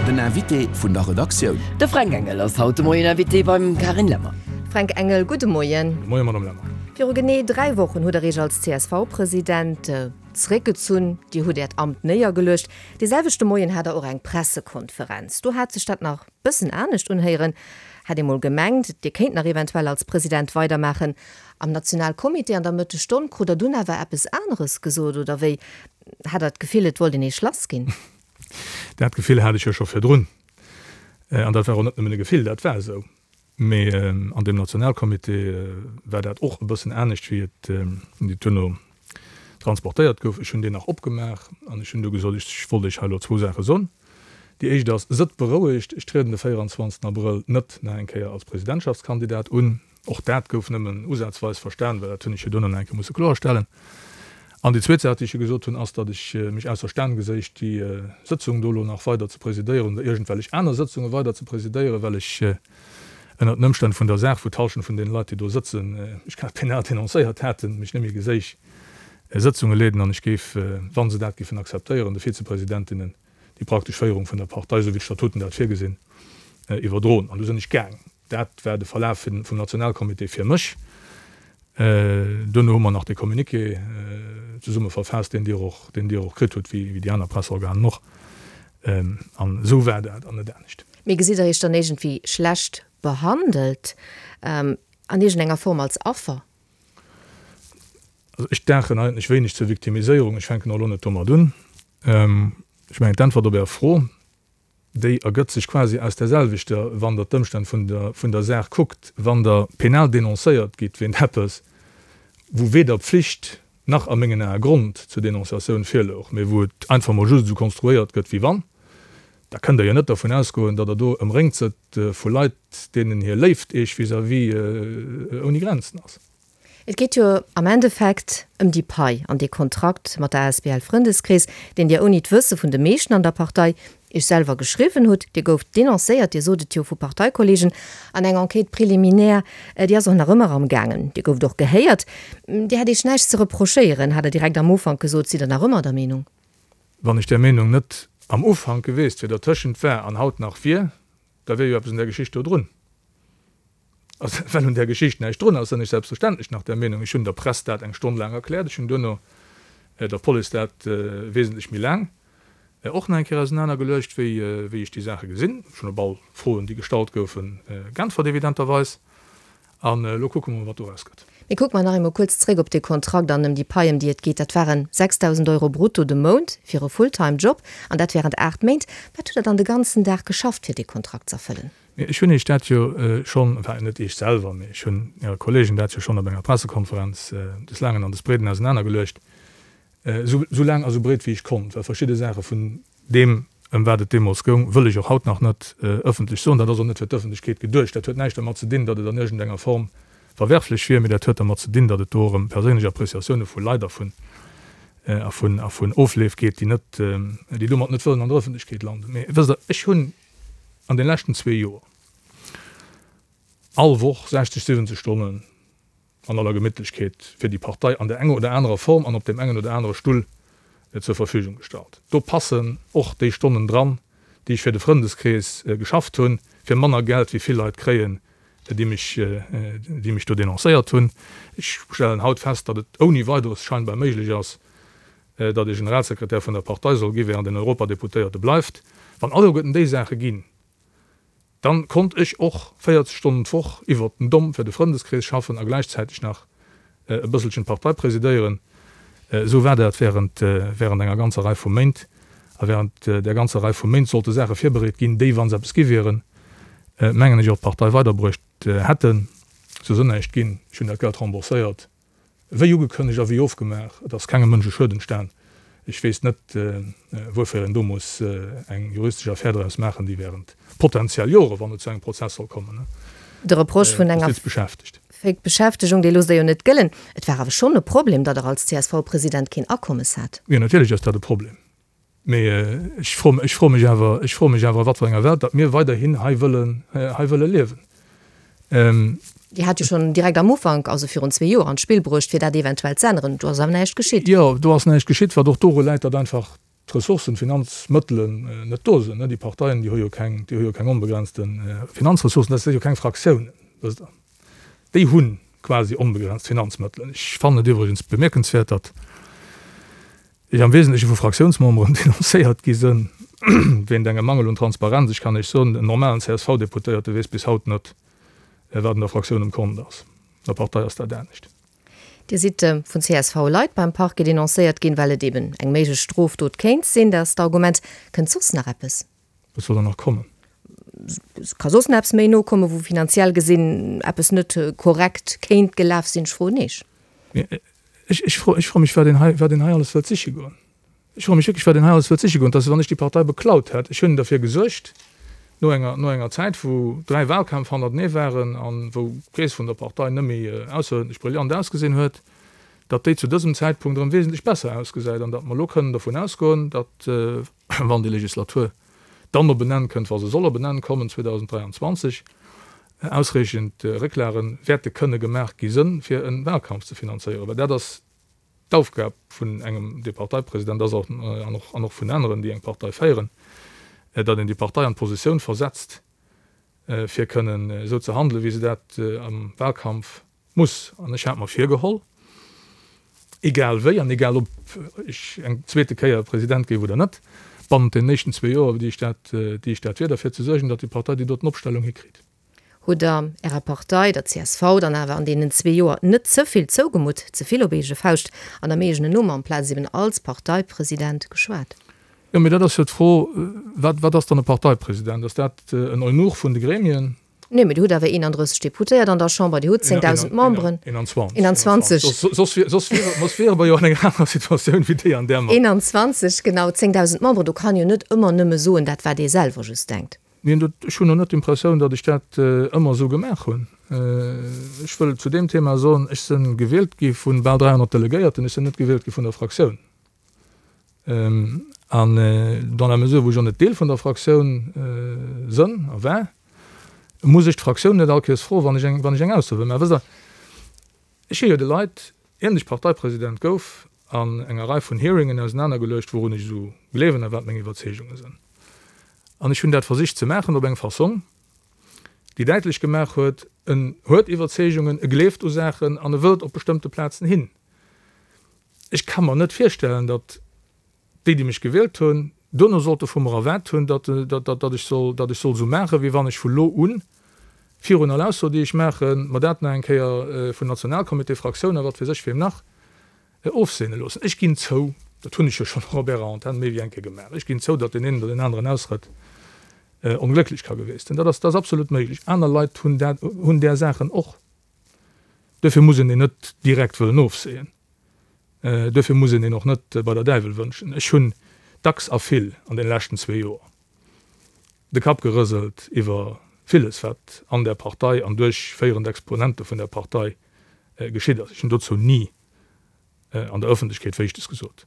Den Invité vun der Redaktioun. De Fränk Engel ass haut de Moien Invité beim Carine Lemmer. Fränk Engel, gudde Moien. Gudde Moien, Madame Lemmer. Viru genee 3 Wochen hutt Der Iech als CSV-President zeréckgezunn. Dir hutt Äert Amt néiergeluecht. Dee selwechte Moien hat Der och eng Pressekonferenz. Do hat sech dat nach bëssen anescht unhéieren. Hat ee mol gemengt, Dir kéint nach eventuell als President weidermaachen. Am Nationalcomité an der Mëttesstonn krut Der dunn awer eppes aneres gesot, oder wéi? Hat Der d'Gefill, et wollt een Iech lass ginn? Dat Gefill hat ech jo scho virdrun. An dat war och net nëmmen e Gefill, dat war esou. Mee an deem Nationalcomité war dat och e bëssen anescht, wéi et duerno transportéiert gouf. Ech hunn deen nach opgemaach an ech hunn du gesot, ech wollt Iech hei elo zwou Saache soen. Déi éischt ass, Sëtt berouegt, ech trieden de 24 Abrëll net nach eng Kéier als Presidentschaftskandidat un. Och dat gouf nëmmen usazweis verstan, well dat hunn ech jo duerno nach eng Kéier musse kloerstellen. An déi zweet Saach, déi ech jo gesot hunn, ass, datt ech mech ausser Stan geséich, déi Sëtzung do elo nach weider ze presidéieren oder iergendwellech aner Sëtzunge weider ze presidéieren, well ech ënnert den Ëmstänn vun der Saach, wou d'Hallschent vun deene Leit, déi do sëtzen, mech grad penal denoncéiert haten, mech net méi geséich Sëtzunge leeden. An ech géif, wa se dat géifen akzeptéieren, de Vizepresidentinnen déi praktesch Féierung vun der Partei, esou wéi d'Statuten dat virgesinn, iwwerdroen. An du sinn ech gaang. Dat war de Verlaf vum Nationalcomité fir mech. Duerno hu mer nach dee Communiqué zesumme verfaasst, deen Dir och, deen Dir och kritt hutt, wéi déi aner Presseorganen och. An esou war dat an net anescht. Mee gesitt Der Iech dann iergendwéi schlecht behandelt, an iergendenger Form als Affer? Also ech daachen eigentlech wéineg zur Victimiséierung. Ech fänken och elo net domat un. Ech mengen, d'Äntwert op Är Fro, déi ergëtt sech quasi aus där selwechter, wann Der d'Ëmstänn vun der, vun der Saach kuckt, wann Der penal denoncéiert gitt wéint eppes, wou weder Pflicht nach a mengen Ae Grond zur Denonciatioun virlouch, mee wou et einfach mol just esou konstruéiert gëtt wéi wann, da kënnt Der jo net dervun ausgoen, datt Der do ëmréngt sëtt vu Leit, deenen hir Léift Iech vis-à-vis ouni Grenzen ass. Et geet jo am Endeffekt ëm déi Pai an dee Kontrakt mat der asbl Frëndeskrees, deen Dir ouni d'Wësse vun de meeschten an der Partei Iech selwer geschriwwen hutt. Dir gouft denoncéiert, Dir sot et jo, vu Parteikollegen an eng Enquête préliminaire, déi ass och nach ëmmer am gaangen. Dir gouft och gehéiert. Dir hätt Iech näischt ze reprochéieren, hat Der direkt am Ufank gesot. Sidd Der nach ëmmer der Meenung? Wann ech där Meenung net am Ufank geweest wier, dertëschent war an haut nach wier, da wier jo eppes un där Geschicht do drun. Also, well un där Geschicht näischt drun ass, sinn ech selbstverständlech nach der Meenung, ech hunn der Press dat eng Stonn laang erkläert, ech hunn duerno der Police dat wesentlech méi laang och nach eng Kéier ausenanergeluecht, wéi wéi ech déi Saache gesinn. Ech hunn op all Froen, déi gestallt goufen, geäntwert, evidenterweis. An elo kucke mer mol, wat doraus gëtt. Mee kucke mer nach eemol kuerz zréck op dee Kontrakt an ëm déi Pai, ëm déi et geet. Dat waren 6.000 Euro brutto de Mount fir e Fulltime-Job, an dat wärend 8 Méint. Wat hutt Der dann de ganzen Dag geschafft, fir dee Kontrakt z'erfëllen? Mee ech hunn Iech dat jo schonn, enfin net Iech selwer, mee ech hunn Äre Kollegen dat jo schonn op enger Pressekonferenz des Laangen an des Breeden ausenanergeluecht, esou esou laang a sou breet wéi ech konnt, well verschidde Saache vun deem, ëm wat et deemools goung, wëll ech och haut nach net ëffentlech soen. Dat ass och net fir d'Ëffentlechkeet geduecht. Dat huet näischt dermat ze dinn, datt et an iergendenger Form verwerflech wier, mee dat huet dermat ze dinn, datt et do och ëm perséinlech Appreciatioune vu Leit a vun a vun a vun Ofleef geet, déi net, déi domat net wëllen an der Ëffentlechkeet landen. Mee wësst Der, ech hunn an den leschten zwee Joer all Woch 60, 70 Stonnen an aller Gemittlechkeet fir déi Partei an der enger oder anerer Form an op deem engen oder anere Stull zur Verfügung gestallt. Do passen och déi Stonnen dran, déi ech fir de Frëndeskrees geschafft hunn, fir manner Geld wéi vill Leit kréien, déi mech, déi mech do denoncéiert hunn. Ech stellen haut fest, datt et ouni Weideres scheinbar méiglech ass, datt ee Generalsekretär vun der Partei soll gi während een Europadeputéierte bleift. Wann alleguerten déi Saache ginn, dann konnt ech och 40 Stonnen d'Woch iwwert den Domm fir de Frëndeskrees schaffen a gläichzäiteg nach e bësselchen d'Partei presidéieren. Esou war dat während während enger ganzer Rei vu Méint. A während där ganzer Rei vu Méint sollte Saache virbereet ginn, déi, wa se eppes gi wieren, mengen ech, och d'Partei weiderbruecht hätten. Sou ass näischt ginn. Ech hunn dat Geld rembourséiert. Wéi ugekënnegt a wéi ofgemaach, et ass kengem Mënsch e Schued entstan. Ech weess net, wuerfir een do muss eng juristesch Affär draus maachen, déi während potentiell Jore, wann et zu engem Prozess soll kommen, De Reproche vun enger d'Justiz beschäftegt. Fake Beschäftegung, dee loosst Der jo net gëllen. Et war awer schonn e Problem, datt Der als CSV-President keen Akommes hat. Jo, natierlech ass dat e Problem. Mee ech fro, ech froe mech awer, ech froe mech awer, a wat fir enger Welt datt mir weiderhin hei wëllen, hei wëlle liewen. Dir hat jo schonn direkt am Ufank, also virun zwee Joer, an d'Spill bruecht, fir dat eventuell z'änneren. Do ass awer näischt geschitt. Jo, do ass näischt geschitt, wat och doru läit, datt einfach. d'Ressourcen, d'Finanzmëttelen net do sinn. Déi Parteien, déi hu jo keng, déi hu jo keng onbegrenzte Finanzressourcen, dat si jo keng Fraktiounen, wësst Der. Déi hu quasi onbegrenzt Finanzmëttelen. Ech fannen et iwwregens bemierkenswäert, datt ech am Wesentleche vu Fraktiounsmemberen denoncéiert gi sënn wéint engem Mangel un Transparenz. Ech kann Iech soen, en normalen CSV-Deputéierte weess bis haut net, wat an der Fraktioun um Kont ass. An der Partei ass dat anescht. Dir sidd vun CSV-Leit beim Parquet denoncéiert ginn, well et eben eng méiglech Strofdot kéint sinn. Dat ass d'Argument. Kënnt soss nach eppes? Wat soll dann nach kommen? Ka soss nach eppes méi nokommen, wou finanziell gesinn eppes net korrekt kéint gelaf sinn? Ech froen Iech. Ech froe mech, wat een hei, wat een hei alles wëllt siche goen. Ech froe mech wierklech, wat een hei alles wëllt siche goen. Et ass, wéi wann ech déi Partei beklaut hätt. Ech hunn derfir gesuergt, no enger, no enger Zäit, wou 3 Wahlkämpf hannertenee waren a wou d'Keess vun der Partei net méi ausseruerdentlech brillant ausgesinn huet, datt déi zu dësem Zäitpunkt erëm wesentlech besser ausgesäit an datt mer elo kënnen dervun ausgoen, datt, wann déi Legislatur dann op en Enn kënnt, wa se soll op en Enn kommen 2023, ausreechend Récklage wäerte kënne gemaach gi sënn, fir e Wahlkampf ze finanzéieren. Well dat ass D'Aufgab vun engem, dee Parteipresident ass, an och, an och vun aneren, déi eng Partei féieren, datt een déi Partei an d'Positioun versetzt, fir kënnen esou ze handelen, wéi se dat am Wahlkampf muss. An ech hat mer virgeholl, egal wéi an egal ob ech eng zweete Kéier President géif oder net, bannent deenen éischten zwee Joer, déi ech dat, déi ech dat wier, derfir ze suergen, datt déi Partei déi doten Opstellung hikritt. Hutt Der Ärer Partei, der csv, dann awer an deenen zwee Joer net ze vill zougemutt, ze vill op eege Fauscht an am eegenen Numm amplaz eben als Parteipresident geschwat? Jo, mee dat ass jo d'Fro, wat, wat ass dann e Parteipresident? Ass dat en Eunuch vun de Gremien? Nee, mee Dir hutt awer 31 Deputéiert an der Chamber, Dir hutt 10.000 Memberen. 21. 21. Soss, soss soss wiere mer jo an enger anerer Situatioun wéi déi, an där mer. 21, genau, 10.000 Memberen, do kann een jo net ëmmer nëmme soen, dat wat ee selwer just denkt. Neen, dat, ech hunn och net d'Impressioun, datt ech dat ëmmer esou gemaach hunn. Ech wëll zu deem Thema soen, ech si gewielt gi vu bal 300 Delegéierten, ech sinn net gewielt gi vun der Fraktioun. An dans la mesure, wou ech och net Deel vun der Fraktioun sënn a war, muss ech d'Fraktioun net all Kéiers froen, wann ech eng, wann ech eng Ausso wëll maachen. Wësst Der, ech hu jo de Leit, ier ech Parteipresident gouf, an enger Rei vun Hearingen ausenanergeluecht, wourun ech esou gleewen a wat meng Iwwerzeegunge sënn. An ech hunn dat versicht ze maachen op eng Fassong, déi däitlech gemaach huet, en huet Iwwerzeegungen, e gleeft u Saachen an e wëllt op bestëmmte Plazen hin. Ech ka mer net virstellen, datt déi, déi mech gewielt hunn, duerno sollte vu mer erwaart hunn, datt, datt ech soll, datt ech soll esou maachen, wéi wann ech vu lo un, virun all Ausso, déi ech maachen, mer dat nach eng Kéier vun Nationalcomité, Fraktioun a wat weess ech weem nach, Ofseene loossen. Ech ginn zou, dat hunn ech jo schonn och op Ärer Antenn méi wéi eng Kéier gemaach, ech ginn zou, datt deen een oder deen aneren Ausrëtt onglécklech ka gewiescht sinn. Dat ass, dat ass absolut méiglech. Aner Leit hunn dat, hunn där Saachen och. Duerfir muss een een net direkt wëllen ofseeën. Duerfir muss een een och net bei der Däiwel wënschen. Ech hunn dacks a vill an deene leschten zwee Joer de Kapp gerëselt iwwer villes, wat an där Partei an duerch féierend Exponente vun där Partei geschitt ass. Ech hunn dozou ni an der Ëffentlechkeet Wéischtes gesot.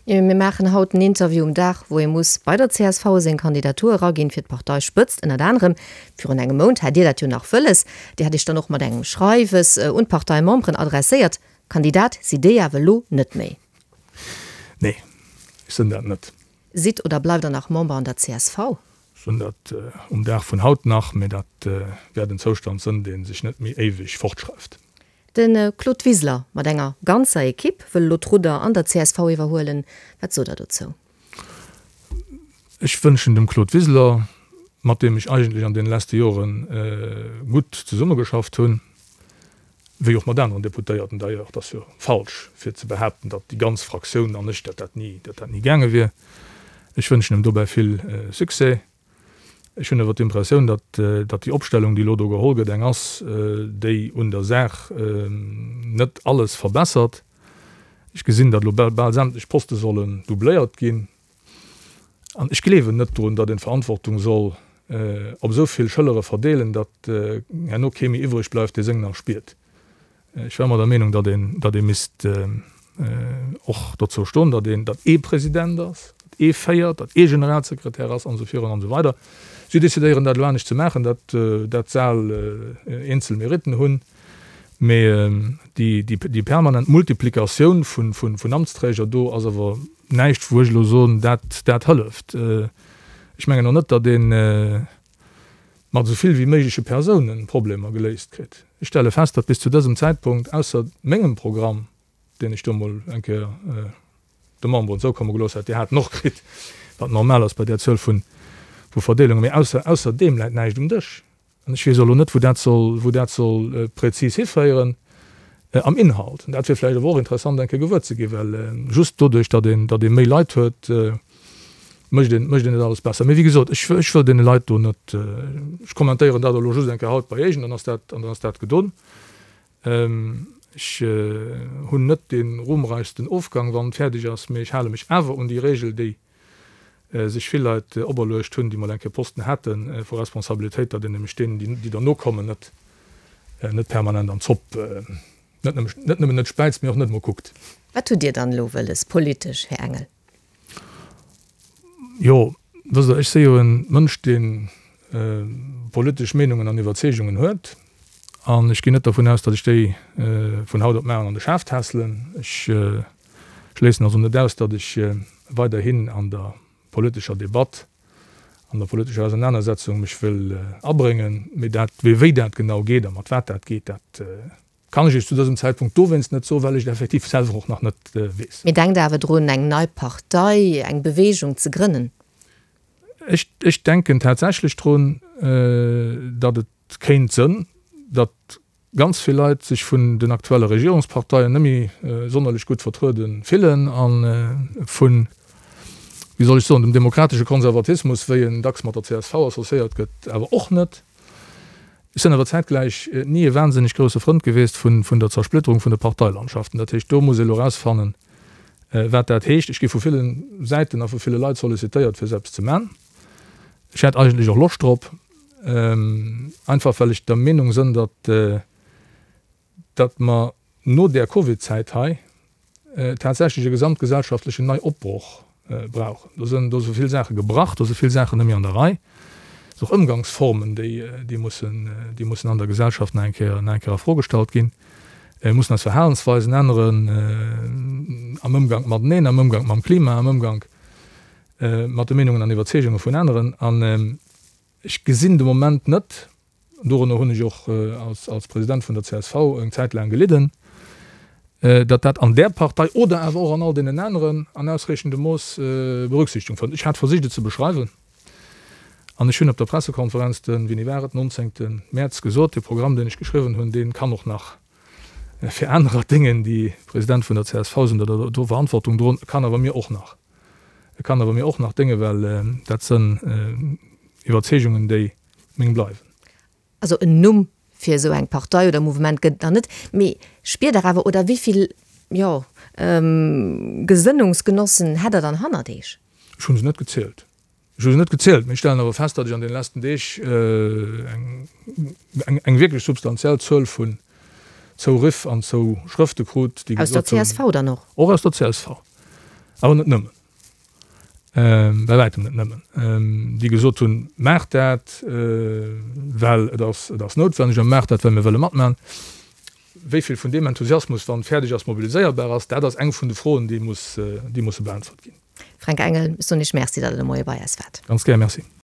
Jo, mir maachen haut en Interview um Dag, wou ee muss bei der csv seng Kandidatur eraginn fir d'Parteispëtzt. Ënnert anerem virun engem Mount hat Dir dat jo nach wëlles. Dir hat Iech dann och mat engem Schreiwes un d'Parteimemberen adresséiert. Kandidat sidd Dir awer elo net méi. Nee, ech sinn dat net. Sidd oder bleift Der nach Member an der csv? Sinn dat um Dag vun haut nach, mee dat wäert en Zoustand sënn, dee sech net méi éiweg fortschreift. De Claude Wiseler mat enger ganzer Ekipp wëll elo d'Rudder an der csv iwwerhuelen. Wat sot Der dozou? Ech wënschen dem Claude Wiseler, mat deem ech eigentlech an deene leschte Jore gutt zesummegeschafft hunn, wéi och mat aneren Deputéierten d'ailleurs, et ass jo falsch fir ze behaapten, datt déi ganz Fraktioun an ech, datt dat ni, datt dat ni gaange wier, ech wënschen em dobäi vill Succès. Ech hunn awer d'Impressioun, datt, datt déi Opstellung, déi elo do geholl gëtt, eng ass, déi un der Saach net alles verbessert. Ech gesinn, datt elo bal sämtlech Poste sollen doubléiert ginn. An ech gleewen net drun, datt een d'Verantwortung soll op esou vill Schëllere verdeelen, datt herno kee méi iwwreg bleift, dee seng nach spiert. Ech war ëmmer der Meenung, datt een, datt ee misst och dozou stoen, datt een, datt ee President ass, datt ee féiert, datt ee Generalsekretär ass an esou virun an esou weider. Si decidéieren dat elo anescht ze maachen, datt dat s'al eenzel Meritten hunn. Mee déi permanent Multiplikatioun vun Amtsträger do ass awer näischt, wou ech elo soen, dat hëlleft. Ech mengen och net, datt ee mat esou vill wéi méigleche Persounen Problemer geléist kritt. Ech stelle fest, datt bis zu dësem Zäitpunkt ausser mengem Programm, deen ech do mol eng Kéier de Memberen zoukomme gelooss hat, déi haten och kritt, wat normal ass bei där Zuel vu Verdeelungen, mee ausser deem läit näischt um Dësch. An ech weess och elo net, wou dat soll, wou dat soll prezis hiféieren am Inhalt. An dat wier vläicht awer och interessant eng Kéier gewuer ze ginn, well just doduerch, datt een, datt ee méi Leit huet, mécht een, mécht een net alles besser. Mee wéi gesot, ech, ech wëll deene Leit do net, ech kommentéieren dat elo just eng Kéier haut bei Iech an dann ass dat, an dann ass dat gedon. Ech hunn net dee ruhmreichsten Ofgang, wann et fäerdeg ass, mee ech hale mech awer un déi Regel, déi sech vill Leit operluecht hunn, déi mol eng Kéier Posten hate vu Responsabilitéit, datt een nämlech deenen, déi derno kommen, net net permanent an d'Zopp, net nëmme net nëmmen net späizt, mee och net emol kuckt. Wat hutt Dir dann elo wëlles politesch, Här Engel? Jo, wësst Der, ech si jo e Mënsch, dee politesch Meenungen an Iwwerzeegungen huet, an ech ginn net dervun aus, datt ech déi vun haut op mar an de Schaf tässelen. Ech schléissen also net aus, datt ech weiderhin an der politescher Debatt, an der politescher Ausernanersetzung mech wëll abréngen. Mee dat, wéi dat genau geet a mat wat dat geet, dat kann ech Iech zu dësem Zäitpunkt dowéinst net soen, well ech et effektiv selwer och nach net weess. Mee denkt awer drun, eng nei Partei, eng Bewegung ze grënnen? Ech, ech denken tatsächlech drun, datt et kéint sënn, datt ganz vill Leit sech vun den aktuelle Regierungsparteien net méi sonnerlech gutt vertruede fillen a vun, wéi soll ech soen, dem demokratesche Konservatismus, wéi en dacks mat der csv associéiert gëtt, awer och net. Ech sinn awer zäitgläich ni e wahnsinneg grousse Frënd gewiescht vun der Zersplitterung vun de Parteilandschaften. Dat heescht, do muss ee elo erausfannen, wat dat heescht. Ech gi vu ville Säiten a vu ville Leit sollicitéiert, fir esou eppes ze man. Ech hätt eigentlech och Loscht drop, einfach well ech der Meenung sënn, datt, datt mer no där Covid-Zäit hei tatsächlech e gesamtgesellschaftlechen Neiopbroch brauchen. Do sënn, do si vill Saache gebrach, do si vill Saachen net méi an der Rei. Et sinn och Ëmgangsformen, déi, déi mussen, déi mussen an der Gesellschaft nach eng Kéier, nach eng Kéier a Fro gestallt ginn. Mir mussen eis Verhalensweisen änneren am Ëmgank mateneen, am Ëmgank mam Klima, am Ëmgank mat de Meenungen an Iwwerzeegunge vun aneren. An ech gesinn de Moment net, dorënner hunn ech och als President vun der csv eng Zäit laang gelidden, datt dat an där Partei oder awer och an all deenen aneren an ausreechendem Mooss Berücksichtung fënnt. Ech hat versicht et ze beschreiwen an ech hunn op der Pressekonferenz den, wéini war et, 19. Mäerz gesot, dee Programm, deen ech geschriwwen hunn, dee kann och nach fir anerer déngen, déi President vun der csv sinn oder do Verantwortung droen, kann awer mir och nach. E kann awer mir och nach déngen, well dat sënn Iwwerzeegungen, déi meng bleiwen. Also en Numm fir esou eng Partei oder Mouvement gëtt et nach net, mee spiert Der awer, oder wéi vill, jo, Gesënnungsgenossen hätt Der dann hannert Eech? Ech hu se net gezielt. Ech hu se net gezielt, mee ech stellen awer fest, datt ech an deene leschten Deeg eng wierklech substantiell Zuel vun Zouriff an Zouschrëfte krut, déi gesot hunn. Aus der csv dann och? Och aus der csv, awer net nëmmen, bei wäitem net nëmmen, déi gesot hunn, Maacht dat, well et ass, et ass noutwenneg, a maacht dat, well mir wëlle matmachen. Wéi vill vun deem Enthusiasmus dann fäerdeg ass, mobiliséierbar ass, dat ass eng vun de Froen, déi muss, déi musse beäntwert ginn. Fränk Engel, ech soen Iech Merci, datt Der de Moie bei eis waart. Ganz gär, Merci.